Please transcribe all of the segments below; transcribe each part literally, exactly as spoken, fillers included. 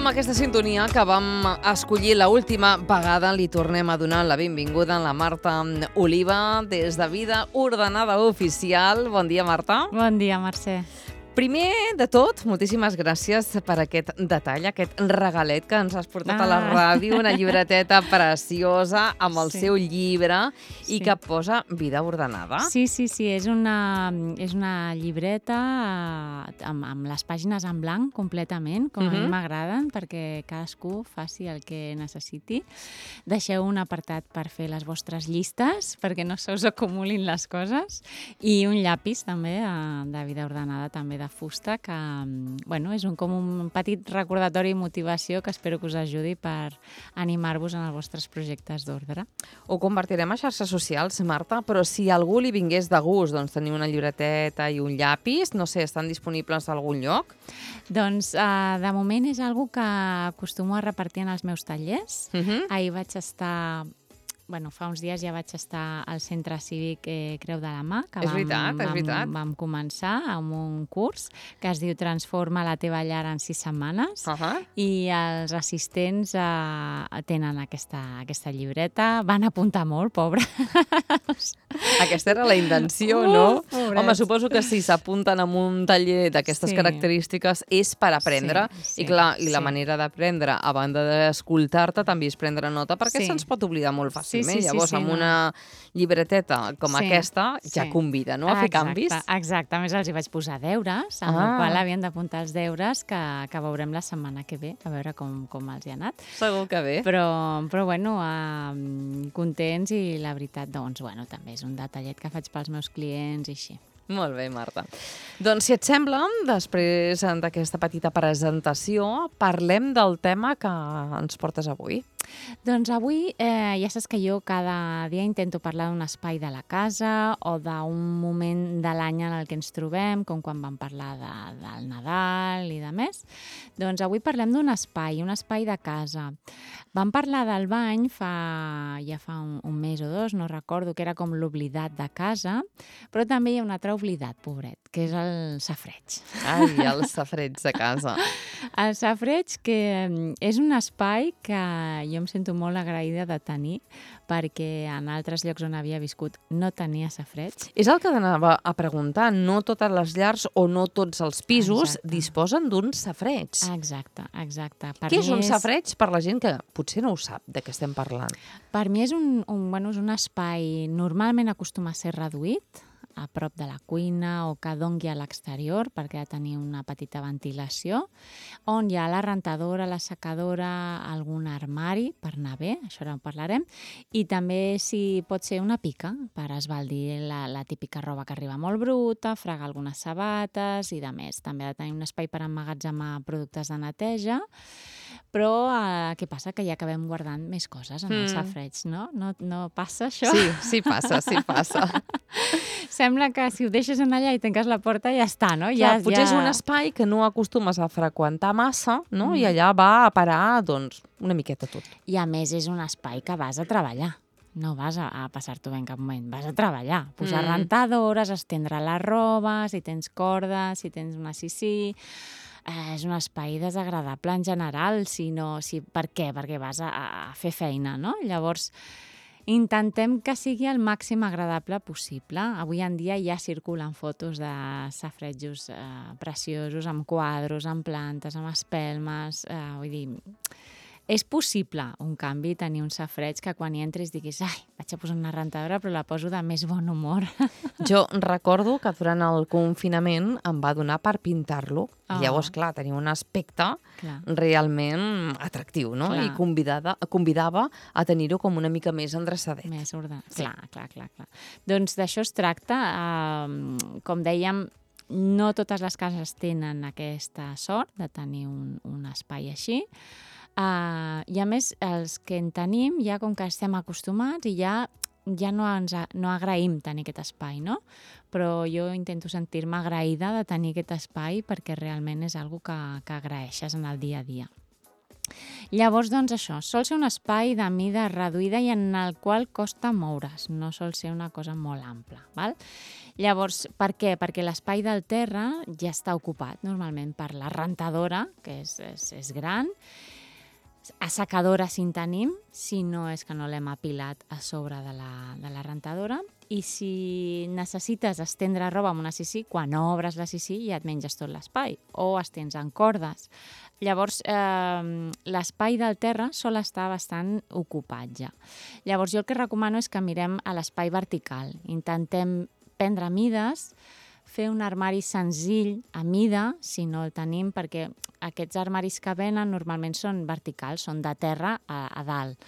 amb aquesta sintonia que vam escollir l'última vegada, li tornem a donar la benvinguda a la Marta Oliva des de Vida Ordenada Oficial. Bon dia, Marta. Bon dia, Mercè. Primer de tot, moltíssimes gràcies per aquest detall, aquest regalet que ens has portat ah. a la ràdio, una llibreteta preciosa amb el sí. seu llibre sí. i que posa Vida Ordenada. Sí, sí, sí, és una, és una llibreta amb, amb les pàgines en blanc completament, com uh-huh. a mi m'agraden, perquè cadascú faci el que necessiti. Deixeu un apartat per fer les vostres llistes, perquè no se us acumulin les coses, i un llapis també de Vida Ordenada, també de de fusta, que bueno, és un, com un petit recordatori i motivació que espero que us ajudi per animar-vos en els vostres projectes d'ordre. Ho convertirem a xarxes socials, Marta, però si a algú li vingués de gust doncs, tenir una llibreteta i un llapis, no sé, estan disponibles a algun lloc? Doncs uh, de moment és algo que acostumo a repartir en els meus tallers. Uh-huh. Ahir vaig estar... Bueno, fa uns dies ja vaig estar al Centre Cívic eh, Creu de la Mà, que és vam, veritat, és veritat. vam, vam començar amb un curs que es diu Transforma la teva llar en sis setmanes uh-huh. i els assistents eh, tenen aquesta, aquesta llibreta. Van apuntar molt, pobres. Aquesta era la intenció, uh, no? Pobrets. Home, suposo que si s'apunten a un taller d'aquestes sí. característiques és per aprendre sí, sí, i clar, i la sí. manera d'aprendre, a banda d'escoltar-te, també és prendre nota perquè sí. se'ns pot oblidar molt fàcil. Sí, sí, Llavors, sí, sí, amb una no. llibreteta com sí, aquesta, ja sí. convida, no?, a fer exacte, canvis. Exacte. A més, els hi vaig posar deures, amb ah. el qual havien d'apuntar els deures que, que veurem la setmana que ve, a veure com, com els hi ha anat. Segur que bé. Però, però bueno, eh, contents i la veritat, doncs, bueno, també és un detallet que faig pels meus clients i així. Molt bé, Marta. Doncs, si et sembla, després d'aquesta petita presentació, parlem del tema que ens portes avui. Doncs avui eh, ja saps que jo cada dia intento parlar d'un espai de la casa o d'un moment de l'any en el que ens trobem, com quan vam parlar de, del Nadal i de més. Doncs avui parlem d'un espai, un espai de casa. Vam parlar del bany fa, ja fa un, un mes o dos, no recordo, que era com l'oblidat de casa, però també hi ha un altre oblidat, pobret, que és el safareig. Ai, el safareig de casa. El safareig, que és un espai que jo em sento molt agraïda de tenir, perquè en altres llocs on havia viscut no tenia safareig. És el que anava a preguntar. No totes les llars o no tots els pisos exacte. disposen d'un safareig. Exacte, exacte. Per Què és un és... safareig per la gent que potser no ho sap de què estem parlant? Per mi és un, un, bueno, és un espai normalment acostuma a ser reduït, a prop de la cuina o que dongui a l'exterior perquè ha de tenir una petita ventilació, on hi ha la rentadora, la secadora, algun armari per anar bé, això ara en parlarem, i també si pot ser una pica per esbaldir la, la típica roba que arriba molt bruta, fregar algunes sabates i de més. També ha de tenir un espai per emmagatzemar productes de neteja, però eh, què passa? Que ja acabem guardant més coses en el mm. safareig, no? no? No passa això? Sí, sí passa, sí passa. Sembla que si ho deixes en allà i tanques la porta ja està, no? Ja, ja, potser ja... és un espai que no acostumes a freqüentar massa, no? Mm. I allà va a parar, doncs, una miqueta tot. I a més és un espai que vas a treballar. No vas a, a passar-t'ho bé en cap moment, vas a treballar. Posar mm. rentadores, estendre la roba, si tens cordes, si tens una sisí... Eh, és un espai desagradable en general, si no, si, per què? Perquè vas a, a fer feina, no? Llavors, intentem que sigui el màxim agradable possible. Avui en dia ja circulen fotos de safaretjos eh, preciosos, amb quadros, amb plantes, amb espelmes, eh, vull dir... És possible un canvi, tenir un safareig que quan hi entris diguis ai, vaig a posar una rentadora però la poso de més bon humor. Jo recordo que durant el confinament em va donar per pintar-lo. Oh. Llavors, clar, tenia un aspecte clar. realment atractiu, no? Clar. I convidada, convidava a tenir-ho com una mica més endreçadet. Més ordenat. Sí. Clar, clar, clar, clar. Doncs d'això es tracta. Uh, com dèiem, no totes les cases tenen aquesta sort de tenir un, un espai així. Uh, I a més, els que en tenim, ja com que estem acostumats i ja, ja no, ens, no agraïm tenir aquest espai, no? Però jo intento sentir-me agraïda de tenir aquest espai perquè realment és algo que, que agraeixes en el dia a dia. Llavors, doncs això, sol ser un espai de mida reduïda i en el qual costa moure's, no sol ser una cosa molt ampla, val? Llavors, per què? Perquè l'espai del terra ja està ocupat normalment per la rentadora, que és, és, és gran, assecadora si en tenim, si no és que no l'hem apilat a sobre de la, de la rentadora, i si necessites estendre roba amb una sisí, quan obres la sisí ja et menges tot l'espai, o estens en cordes. Llavors, eh, l'espai del terra sol estar bastant ocupat ja. Llavors, jo el que recomano és que mirem a l'espai vertical. Intentem prendre mides, fer un armari senzill a mida, si no el tenim, perquè aquests armaris que venen normalment són verticals, són de terra a, a dalt.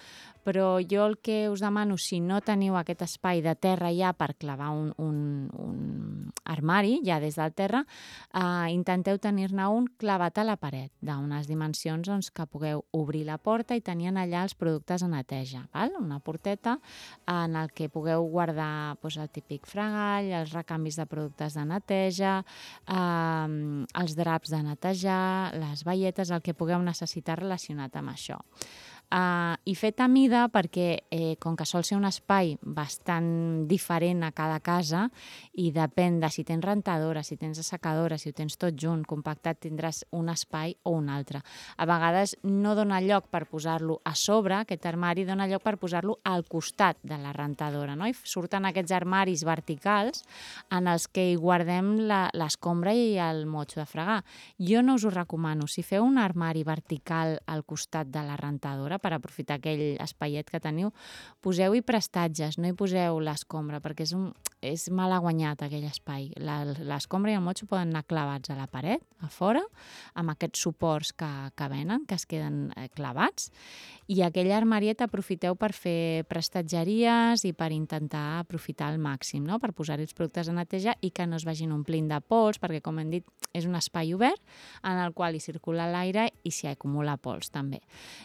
Però jo el que us demano, si no teniu aquest espai de terra ja per clavar un, un, un armari, ja des del terra, eh, intenteu tenir-ne un clavat a la paret, d'unes dimensions doncs, que pugueu obrir la porta i tenir allà els productes a neteja. Val? Una porteta en el que pugueu guardar doncs, el típic fregall, els recanvis de productes de neteja, eh, els draps de netejar, les baietes, el que pugueu necessitar relacionat amb això. Uh, I fet a mida perquè, eh, com que sol ser un espai bastant diferent a cada casa i depèn de si tens rentadora, si tens assecadora, si ho tens tot junt, compactat, tindràs un espai o un altre. A vegades no dona lloc per posar-lo a sobre, aquest armari dona lloc per posar-lo al costat de la rentadora, no? I surten aquests armaris verticals en els que hi guardem l'escombra i el motxo de fregar. Jo no us ho recomano. Si feu un armari vertical al costat de la rentadora, per aprofitar aquell espaiet que teniu, poseu-hi prestatges, no hi poseu l'escombra, perquè és, un, és mal guanyat aquell espai. L'escombra i el motxo poden anar clavats a la paret, a fora, amb aquests suports que, que venen, que es queden clavats, i aquell armariet aprofiteu per fer prestatgeries i per intentar aprofitar al màxim, no? Per posar-hi els productes de neteja i que no es vagin omplint de pols, perquè, com hem dit, és un espai obert en el qual hi circula l'aire i s'hi acumula pols també.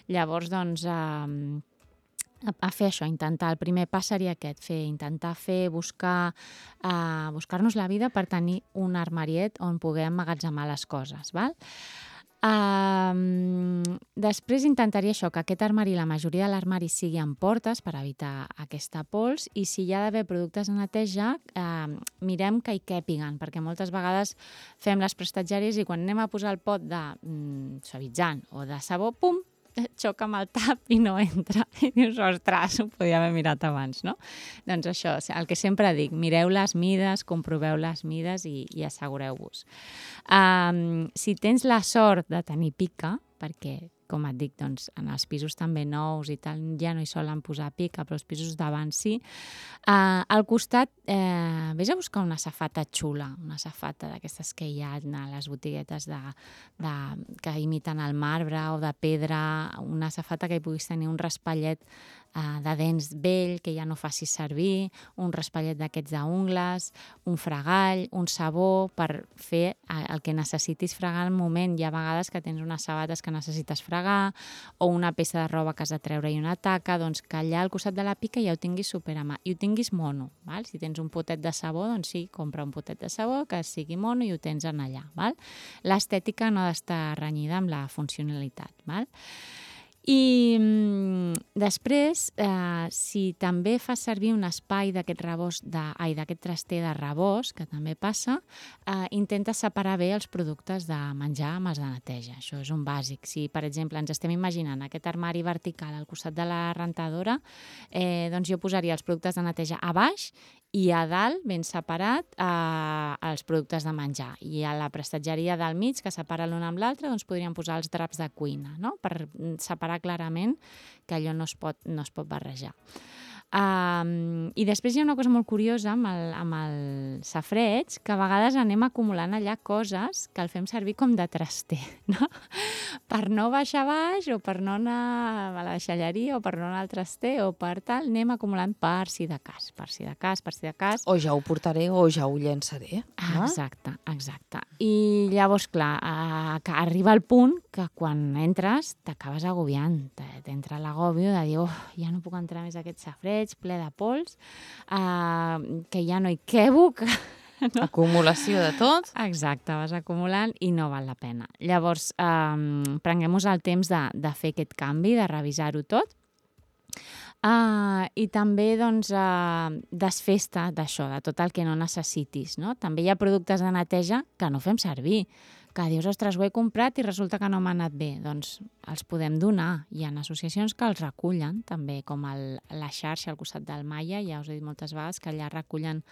Llavors, doncs, eh, a fer això, intentar, el primer pas seria aquest, fer, intentar fer, buscar, eh, buscar-nos la vida per tenir un armariet on puguem emmagatzemar les coses, val? Uh, després intentaria això, que aquest armari, la majoria de l'armari sigui amb portes per evitar aquesta pols, i si hi ha d'haver productes de neteja, uh, mirem que hi càpiguen, perquè moltes vegades fem les prestatgeries i quan anem a posar el pot de mm, suavitzant o de sabó, pum, xoca amb el tap i no entra. I dius, ostres, ho podia haver mirat abans, no? Doncs això, el que sempre dic, mireu les mides, comproveu les mides i, i assegureu-vos. Um, si tens la sort de tenir pica, perquè, com et dic, doncs, en els pisos també nous i tal, ja no hi solen posar pica, però els pisos d'abans sí. Uh, al costat, eh, vés a buscar una safata xula, una safata d'aquestes que hi ha a les botiguetes de, de, que imiten el marbre o de pedra, una safata que hi puguis tenir un raspallet uh, de dents vell, que ja no facis servir, un raspallet d'aquests d'ungles, un fregall, un sabó, per fer el que necessitis fregar al moment. Hi ha vegades que tens unes sabates que necessites fregar, o una peça de roba que has de treure i una taca, doncs que allà al costat de la pica ja ho tinguis super a mà i ho tinguis mono, val? Si tens un potet de sabó, doncs sí, compra un potet de sabó que sigui mono i ho tens en allà, val? L'estètica no ha d'estar renyida amb la funcionalitat, val? I mm, després, eh, si també fas servir un espai d'aquest rebost de, ai, d'aquest traster de rebost, que també passa, eh, intenta separar bé els productes de menjar amb els de neteja. Això és un bàsic. Si, per exemple, ens estem imaginant aquest armari vertical al costat de la rentadora, eh, doncs jo posaria els productes de neteja a baix i a dalt, ben separat, eh, els productes de menjar. I a la prestatgeria del mig, que separa l'un amb l'altre, doncs podríem posar els draps de cuina, no? Per separar clarament que allò no es pot, no es pot barrejar. Um, I després hi ha una cosa molt curiosa amb el, amb el safareig, que a vegades anem acumulant allà coses que el fem servir com de traster, no? Per no baixar baix o per no anar a la deixalleria o per no anar al traster o per tal, anem acumulant per si de cas, per si de cas, per si de cas. O ja ho portaré o ja ho llançaré. No? Exacte, exacte. I llavors, clar, eh, que arriba el punt que quan entres t'acabes agobiant, t'entra l'agòbio de dir, oh, ja no puc entrar més a aquest safareig ple de pols, eh, que ja no hi quebo, que no? Acumulació de tot. Exacte, vas acumulant i no val la pena. Llavors, eh, prenguem-nos el temps de, de fer aquest canvi, de revisar-ho tot. Uh, I també doncs, uh, desfesta d'això, de tot el que no necessitis. No? També hi ha productes de neteja que no fem servir, que dius, ostres, ho he comprat i resulta que no m'ha anat bé. Doncs els podem donar. Hi ha associacions que els recullen, també, com el, la xarxa al costat del Maia, ja us he dit moltes vegades que allà recullen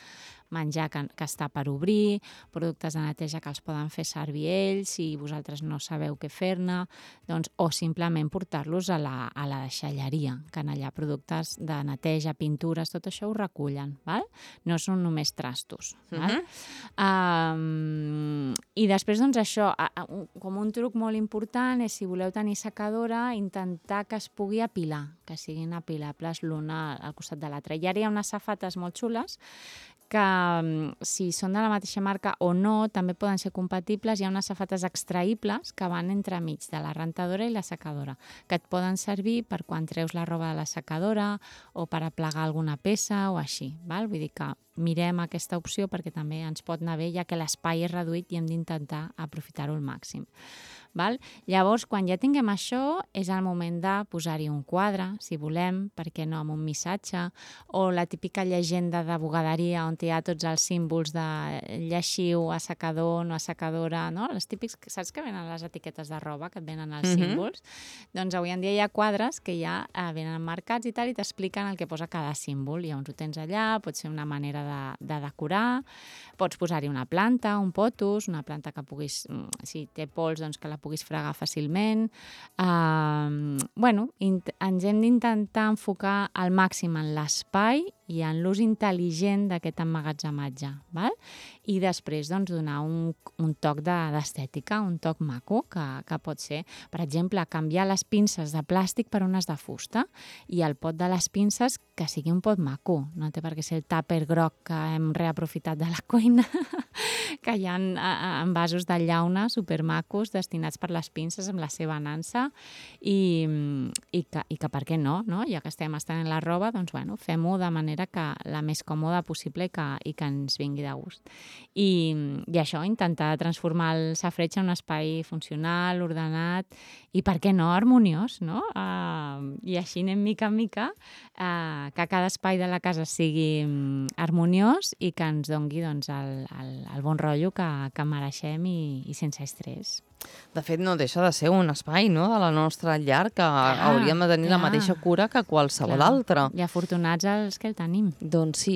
menjar que, que està per obrir, productes de neteja que els poden fer servir ells, si vosaltres no sabeu què fer-ne, doncs, o simplement portar-los a la, a la deixalleria, que en allà productes de neteja, pintures, tot això ho recullen, val? No són només trastos. Val? Uh-huh. Um, I després, doncs, això, com un truc molt important és, si voleu tenir secadora, intentar que es pugui apilar, que siguin apilables l'una al costat de l'altra. I ara hi ha unes safates molt xules que, si són de la mateixa marca o no, també poden ser compatibles. Hi ha unes safates extraïbles que van entremig de la rentadora i la secadora, que et poden servir per quan treus la roba de la secadora o per aplegar alguna peça o així. Val? Vull dir que mirem aquesta opció perquè també ens pot anar bé, ja que l'espai és reduït i hem d'intentar aprofitar-ho al màxim. Val? Llavors, quan ja tinguem això, és el moment de posar-hi un quadre, si volem, perquè no, amb un missatge, o la típica llegenda de bugaderia on hi ha tots els símbols de lleixiu, assecador, no assecadora, no? Les típics, saps que venen les etiquetes de roba, que et venen els Mhm. símbols? Doncs avui en dia hi ha quadres que ja eh, venen marcats i tal, i t'expliquen el que posa cada símbol. Llavors ho tens allà, pot ser una manera de, de decorar, pots posar-hi una planta, un potus, una planta que puguis, si té pols, doncs que la puguis fregar fàcilment. Uh, bueno, ens hem d'intentar enfocar al màxim en l'espai i en l'ús intel·ligent d'aquest emmagatzematge, val? I després doncs, donar un, un toc d'estètica, un toc maco, que, que pot ser, per exemple, canviar les pinces de plàstic per unes de fusta i el pot de les pinces que sigui un pot maco, no té per què ser el tàper groc que hem reaprofitat de la cuina, que hi ha envasos de llauna supermacos destinats per les pinces amb la seva nansa i, i, que, i que per què no, no? Ja que estem estenent la roba, doncs bueno, fem-ho de manera que la més còmoda possible i que, i que ens vingui de gust. I, i això, intentar transformar el safreig en un espai funcional, ordenat i, per què no, harmoniós, no? Uh, I així anem mica en mica, uh, que cada espai de la casa sigui um, harmoniós i que ens dongui doncs, el, el, el bon rotllo que, que mereixem i, i sense estrès. De fet, no deixa de ser un espai, no?, de la nostra llar que ah, hauríem de tenir clar. la mateixa cura que qualsevol clar. altre. I afortunats els que el tenim. Doncs sí.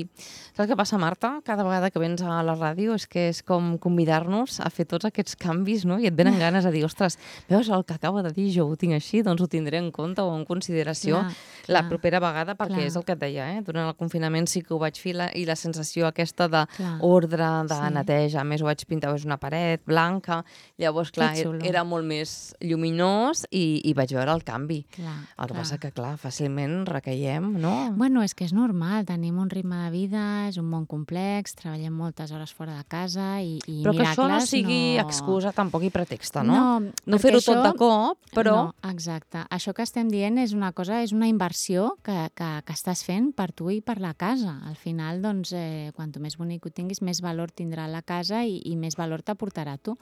Saps què passa, Marta? Cada vegada que vens a la ràdio és que és com convidar-nos a fer tots aquests canvis, no? I et venen ganes de dir, ostres, veus el que acaba de dir, jo ho tinc així, doncs ho tindré en compte o en consideració clar, la clar. propera vegada, perquè clar. és el que et deia, eh? Durant el confinament sí que ho vaig fer la, i la sensació aquesta d'ordre, de sí. neteja, a més ho vaig pintar, és una paret blanca, llavors, clar, era molt més lluminós i, i vaig veure el canvi. Clar, el que clar. passa que, clar, fàcilment recaiem, no? Bueno, és que és normal, tenim un ritme de vida, és un món complex, treballem moltes hores fora de casa i, i però que miracles això no sigui no... excusa tampoc i pretexte, no? No, no fer-ho això... tot de cop, però... No, exacte. Això que estem dient és una cosa, és una inversió que, que, que estàs fent per tu i per la casa. Al final, doncs, eh, quanto més bonic ho tinguis, més valor tindrà la casa i, i més valor t'aportarà tu.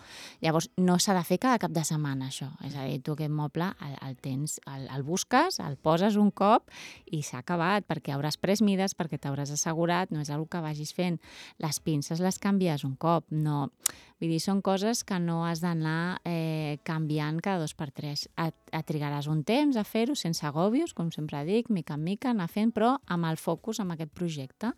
Llavors, no s'ha de fer cada cap de setmana, això. És a dir, tu aquest moble el, el tens, el, el busques, el poses un cop i s'ha acabat, perquè hauràs pres mides, perquè t'hauràs assegurat, no és una que vagis fent. Les pinces les canvies un cop, no... Vull dir, són coses que no has d'anar eh, canviant cada dos per tres. Et, et trigaràs un temps a fer-ho sense agòbios, com sempre dic, mica en mica, anar fent, però amb el focus en aquest projecte.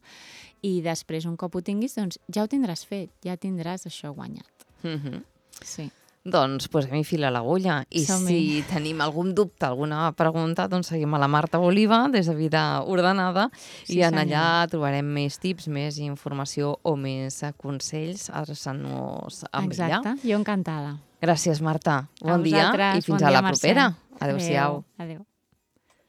I després, un cop ho tinguis, doncs ja ho tindràs fet, ja tindràs això guanyat. Mm-hmm. Sí. Doncs posem-hi fil a l'agulla. I si tenim algun dubte, alguna pregunta, doncs seguim a la Marta Oliva, des de Vida Ordenada, sí, i en allà senyor. trobarem més tips, més informació o més consells adreçant-nos amb Exacte. ella. Exacte, jo encantada. Gràcies, Marta. Bon a dia i fins bon a dia, la propera. Adéu-siau. Adéu. Adéu.